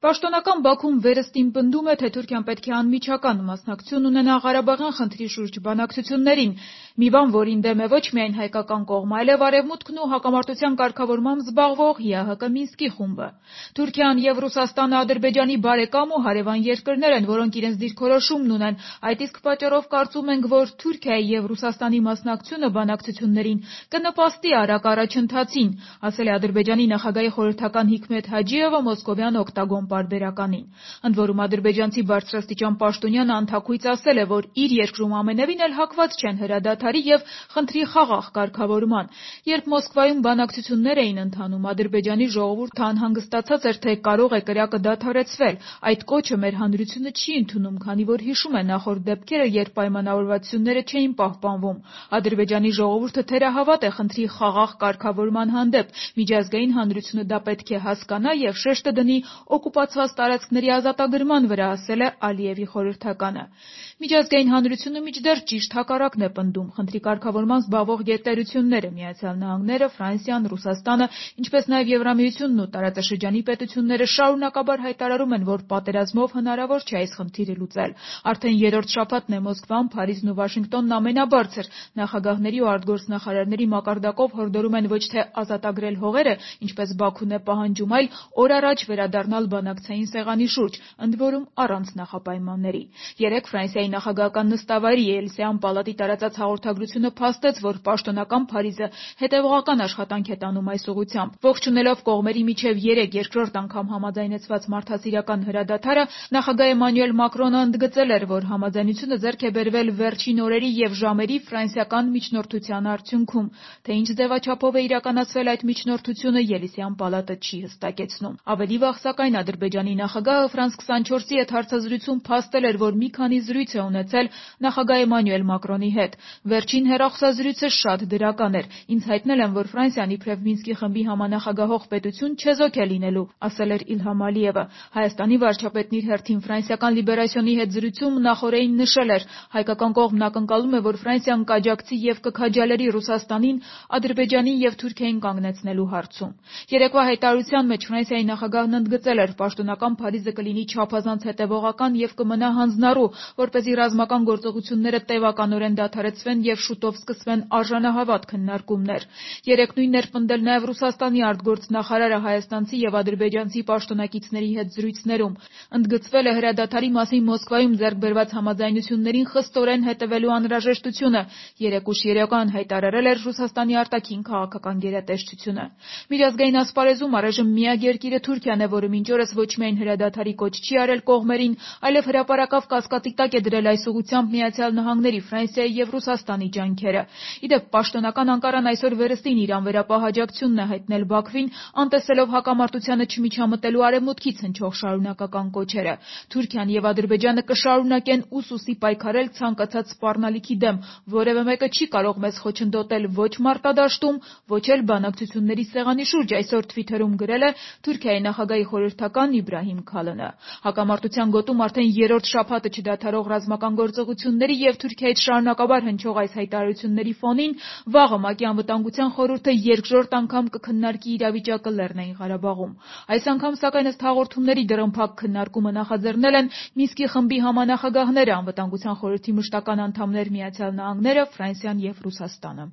Պաշտոնական Բաքուն վերստին պնդում է, թե Թուրքիան պետք է անմիջական մասնակցություն ունենա Ղարաբաղյան խնդրի շուրջ բանակցություններին, մի բան, որին դեմ է ոչ միայն հայկական կողմը, այլև Արևմուտքն ու հակամարտության կարգավորմամբ զբաղվող ՀՀԿ Մինսկի խումբը։ Թուրքիան և Ռուսաստանը Ադրբեջանի բարեկամ ու հարևան երկրներ են, որոնք իրենց դիրքորոշումն ունեն, այդ իսկ պատճառով կարծում ենք, որ Թուրքիայի և Ռուսաստանի մասնակցությունը բանակցություններին կնպաստի արագ առաջընթացին, ասել է Ադրբեջանի նախագահի խորհրդական Հիկմեթ Հաջիևը մոսկովյան Օկտագոն պարբերականին։ Ընդ որում ադրբեջանցի բարձրաստիճան պաշտոնյանը անթաքույց ասել է, որ իր երկրում ամենևին էլ հակված չեն հրադադարի և խնդրի խաղաղ կարգավորման։ Երբ Մոսկվայում բանակցություններ էին ընթանում, Ադրբեջանի ժողովուրդը անհանգստացած էր, թե կարող է կրակը դադարեցվել։ Այդ կոչը մեր հանրությունը չի ընդունում, քանի որ հիշում է նախորդ դեպքերը, երբ պայմանավորվածությունները չէին պահպանվում։ Ադրբեջանի ժողովուրդը թերահավատ է խնդրի խաղաղ կարգավորման հանդեպ։ Միջազգային հանրությունը դա պետք է հասկանա և շեշտը դնի օկուպացված տարածքների ազատագրման վրա, ասել է Ալիևի խորհրդականը։ Միջազգային հանրությունը մինչդեռ ճիշտ հակառակն է պնդում։ Խնդրի կարգավորման զբաղվող գերտերությունները՝ Միացյալ Նահանգները, Ֆրանսիան, Ռուսաստանը, ինչպես նաև Եվրամիությունն ու տարածաշրջանի պետությունները շարունակաբար հայտարարում են, որ պատերազմով հնարավոր չէ այս խնդիրը լուծել։ Արդեն երրորդ շաբաթն է Մոսկվան, Փարիզն ու Վաշինգտոնն ամենաբարձր նախագահների ու արտգործնախարարների մակարդակով հորդորում են ոչ թե ազատագրել հողերը, ինչպես Բաքուն է պահանջում, այլ օր առաջ վերադառնալ բանակցային սեղանի շուրջ, ընդ որում առանց նախապայմանների։ Երեկ Ֆրանսիայի նախագահական նստավայրի Էլիսեյան պալատի տարածած հաղորդագրությունը փաստեց, որ պաշտոնական Փարիզը հետևողական աշխատանք է տանում այս ուղղությամբ։ Ողջունելով կողմերի միջև երեկ երկրորդ անգամ համաձայնեցված մարդասիրական հրադադարը, նախագահ Էմանուել Մակրոնը ընդգծել էր, որ համաձայնությունը ձեռք է բերվել վերջին օրերի և ժամերի ֆրանսիական միջնորդության արդյունքում։ Թե ինչ ձևաչափով է իրականացվել այդ միջնորդությունը, Էլիսեյան պալատը չի հստակեցնում։ Ավելի վաղ, սակայն, Ադրբեջանի նախագահը Ֆրանս 24-ի հետ հարցազրույցում փաստել էր, որ մի քանի զրույց է ունեցել նախագահ Էմանուել Մակրոնի հետ։ Վերջին հեռախոսազրույցը շատ դրական էր։ Ինձ հայտնել են, որ Ֆրանսիան իբրև Մինսկի խմբի համանախագահող պետություն չեզոք է լինելու, ասել էր Իլհամ Ալիևը։ Հայաստանի վարչապետն իր հերթին ֆրանսիական Լիբերասիոնի հետ զրույցում նախօրեին նշել էր. հայկական կողմն ակնկալում է, որ Ֆրանսիան կաջակցի և կքաջալերի Ռուսաստանին Ադրբեջանին և Թուրքիային կանգնեցնելու հարցում։ Երեկվա հայտարարության մեջ Ֆրանսիայի նախագահն ընդգծել էր, պաշտոնական Փարիզը կլինի չափազանց հետևողական և կմնա հանձնառու, որպեսզի ռազմական գործողությունները տևականորեն դադարեցվեն և շուտով սկսվեն արժանահավատ քննարկումներ։ Երեկ նույնն էր պնդել նաև Ռուսաստանի արտգործնախարարը հայաստանցի և ադրբեջանցի պաշտոնակիցների հետ զրույցներում։ Ընդգծվել է հրադադարի մասին Մոսկվայում ձեռք բերված համաձայնություններին խստորեն հետևելու անհրաժեշտությունը։ Երեկ ուշ երեկոյան հայտարարել էր Ռուսաստանի արտաքին քաղաքական գերատեսչությունը։ Միջազգային ասպարեզում առայժմ միակ երկիրը Թուրքիան է, որը մինչ օրս ոչ միայն հրադադարի կոչ չի արել կողմերին, այլև հրապարակավ կասկածի տակ է դրել այս ուղղությամբ Միացյալ Նահանգների, Ֆրանսիայի և Ռուսաստանի ջանքերը։ Ի դեպ, պաշտոնական Անկարան այսօր վերստին իր անվերապահ աջակցությունն է հայտնել Բաքվին, անտեսելով հակամարտությանը չմիջամտելու Արևմուտքից հնչող շարունակական կոչերը։ Թուրքիան և Ադրբեջանը կշարունակեն ուսուսի պայքարել ցանկացած սպառնալիքի դեմ, որևէ մեկը չի կարող մեզ խոչընդոտել ոչ մարտադաշտում, ոչ էլ բանակցությունների սեղանի շուրջ, այսօր Twitter-ում գրել է Թուրքիայի նախագահի խորհրդական Իբրահիմ Քալոնը։ Հակամարտության գոտում արդեն երրորդ շաբաթը չդադարող ռազմական գործողությունների և Թուրքիայից շարունակաբար հնչող այս հայտարարությունների ֆոնին վաղը ՄԱԿ-ի Անվտանգության խորհուրդը երկրորդ անգամ կքննարկի իրավիճակը Լեռնային Ղարաբաղում։ Այս անգամ, սակայն, ըստ հաղորդումների, դռնփակ քննարկումը նախաձեռնել են Մինսկի խմբի համանախագահները, Անվտանգության խորհրդի մշտական անդամներ Միացյալ Նահանգները, Ֆրանսիան և Ռուսաստանը։